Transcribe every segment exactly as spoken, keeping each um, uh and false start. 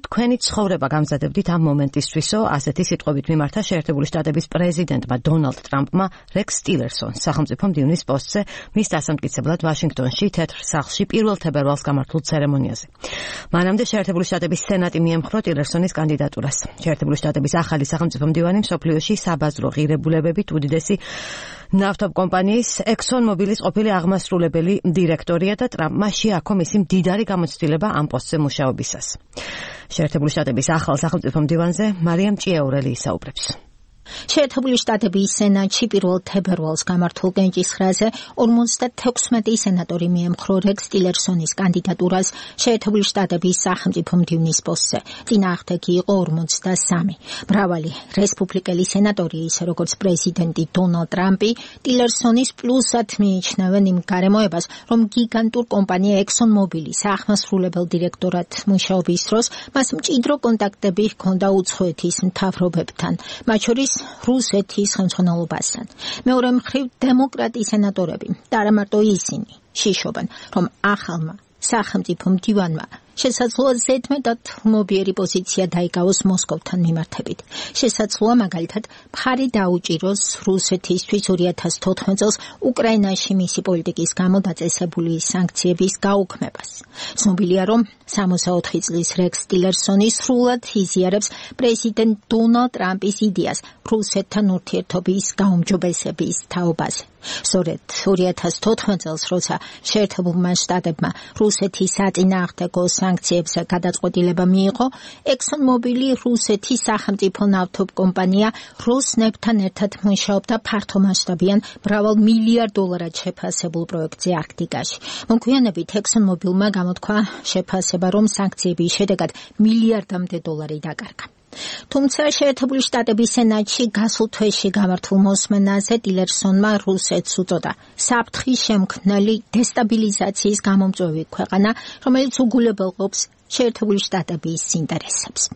თქვენი ცხოვრება გამზადებდით ამ მომენტისთვისო, ასეთი სიტყვებით მიმართა შეერთებული შტატების პრეზიდენტმა დონალდ ტრამპმა რექს ტილერსონს სახელმწიფო მდივნის პოსტზე მის დასამტკიცებლად ვაშინგტონში თეთრ სახლში პირველ თებერვალს გამართულ ცერემონიაზე. მანამდე შეერთებული შტატების სენატი მიემხრო ტილერსონის კანდიდატურას. შეერთებული შტატების ახალი სახელმწიფო მდივანი მსოფლიოში საბაზრო ღირებულებებით უდიდესი ნავთობკომპანიის Exxon Mobilis ყოფილი აღმასრულებელი დირექტორია და ტრამპმა შეაქო მისი მდიდარი გამოცდილება ამ პოსტზე მუშაობისას. შეერთებული შტატების ახალ სახელმწიფო მდივანზე მარიამ ჭიაურელი ისაუბრებს. შეერთებული შტატების სენატში პირველ თებერვალს გამართულ კენჭისყრაზე ორმოცდათექვსმეტი სენატორი მიემხრო რექს ტილერსონის კანდიდატურას შეერთებული შტატების სახელმწიფო მდივნის პოსტზე. წინააღმდეგი იყო ორმოცდასამი. მრავალი რესპუბლიკელი სენატორი, ისე როგორც პრეზიდენტი დონალდ ტრამპი, ტილერსონის პლუსად მიიჩნევენ იმ გარემოებას, რომ გიგანტურ კომპანია Exxon Mobilis აღმასრულებელ დირექტორად მუშაობის დროს მას მჭიდრო კონტაქტები ჰქონდა უცხოეთის მთავრობებთან, მათ შორის რუსეთის ხელმძღვანელობასთან. მეორე მხრივ დემოკრატი სენატორები და არა მარტო ისინი შიშობენ, რომ ახალმა სახელმწიფო მდივანმა შესაძლოა ზედმეტად მობიერი პოზიცია დაიკავოს მოსკოვთან მიმართებით. შესაძლოა მაგალითად მხარი დაუჭიროს რუსეთისთვის ორი ათას თოთხმეტ წელს უკრაინაში მისი პოლიტიკის გამო დაწესებული სანქციების გაუქმებას. ცნობილია, რომ სამოცდაოთხი წლის რექს ტილერსონი სრულად იზიარებს პრეზიდენტ დონალდ ტრამპის იდეას რუსეთთან ურთიერთობის გაუმჯობესების თაობაზე. სწორედ ორი ათას თოთხმეტ წელს, როცა შეერთებულმა შტატებმა რუსეთის საწინააღმდეგო სანქციებზე გადაწყვეტილება მიიღო, Exxon Mobilis რუსეთის სახელმწიფო ნავთობკომპანია როსნეფთან ერთად მუშაობდა ფართომასშტაბიან მრავალ მილიარდ დოლარად შეფასებულ პროექტზე არქტიკაში. მოგვიანებით Exxon Mobilმა გამოთქვა შეფასება, რომ სანქციების შედეგად მილიარდამდე დოლარი დაკარგა. თუმცა შეერთებული შტატების სენატში გასულ თვეში გამართულ მოსმენაზე ტილერსონმა რუსეთს უწოდა საფრთხის შემქმნელი დესტაბილიზაციის გამომწვევი ქვეყანა, რომელიც უგულებელყოფს შეერთებული შტატების ინტერესებს.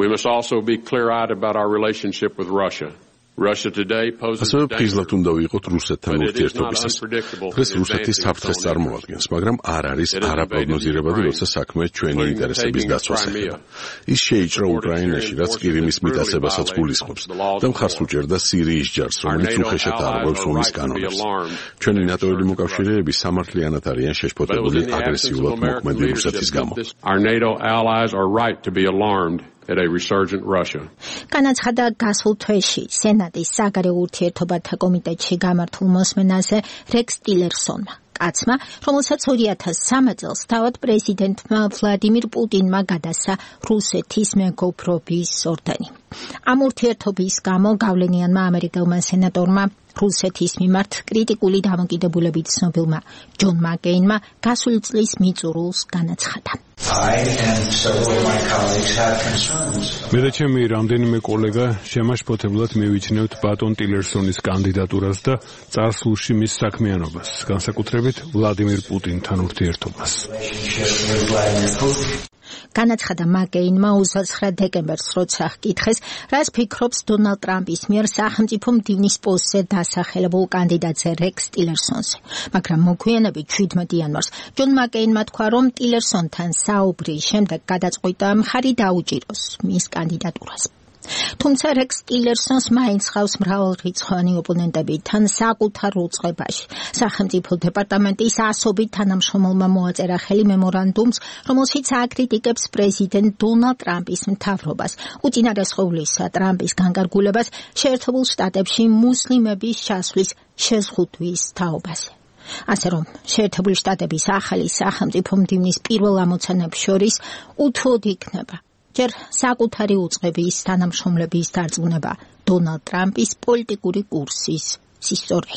We must also be clear-eyed about our relationship with Russia. Russia today poses ასევე ფრიზლად უნდა ვიყოთ რუსეთთან ურთიერთობისას. დღეს რუსეთი საფრთხეს წარმოადგენს, მაგრამ არ არის არაპროგნოზირებადი, როცა საქმე ჩვენი ინტერესების დაცვას ეხება. ის შეიჭრა უკრაინაში, რაც ყირიმის მიტაცებასაც გულისხმობს და მხარს უჭერდა სირიის ჯარს, რომელიც უხეშად არღვევს ომის კანონებს. ჩვენი ნატოელი მოკავშირეები სამართლიანად არიან შეშფოთებული აგრესიულად მოქმედი რუსეთის გამო. Our NATO allies are right to be alarmed at a resurgent Russia. განაცხადა გასულ თვეში სენატის საგარეო ურთიერთობათა კომიტეტში გამართულ მოსმენაზე რექს ტილერსონმა. კაცმა, რომელსაც ორი ათას სამი წელს თავად პრეზიდენტმა ვლადიმირ პუტინმა გადასცა რუსეთის მეგობრობის ორდენი. ამ ურთიერთობის გამო გავლენიანმა ამერიკელმა სენატორმა რუსეთის მიმართ კრიტიკული დამოკიდებულებით ცნობილმა ჯონ მაკეინმა გასული წლის მიწურულს განაცხადა. მე და ჩემი რამდენიმე კოლეგა შემაშფოთებლად მივიჩნევთ ბატონ ტილერსონის კანდიდატურას და წარსულში მის საქმიანობას, განსაკუთრებით ვლადიმირ პუტინთან ურთიერთობას. განაცხადა მაკეინმა ოცდაცხრა დეკემბერს, როცა ჰკითხეს, რას ფიქრობს დონალდ ტრამპის მიერ სახელმწიფო მდივნის პოსტზე დასახელებულ კანდიდატზე რექს ტილერსონზე. მაგრამ მოგვიანებით შვიდმეტი იანვარს ჯონ მაკეინმა თქვა, რომ ტილერსონთან საუბრის შემდეგ გადაწყვიტა მხარი დაუჭიროს მის კანდიდატურას. თუმცა რექს ტილერსონს მაინც ხავს მრავალრიცხოვანი ოპონენტები თან საკუთარ უწყებაში. სახელმწიფო დეპარტამენტის ასობით თანამშრომელმა მოაწერა ხელი მემორანდუმს, რომელშიც აკრიტიკებს პრეზიდენტ დონალდ ტრამპის მთავრობას, უწინარესხევლისა ტრამპის განკარგულებას შეერთებულ შტატებში მუსლიმების ჩასვლის შეზღუდვის თაობაზე. ასე რომ შეერთებული შტატების ახალი სახელმწიფო მდივნის პირველ ამოცანებს შორის უთუოდ იქნება ჯერ საკუთარი უწყების თანამშრომლების დარწმუნება დონალდ ტრამპის პოლიტიკური კურსის სისწორეში.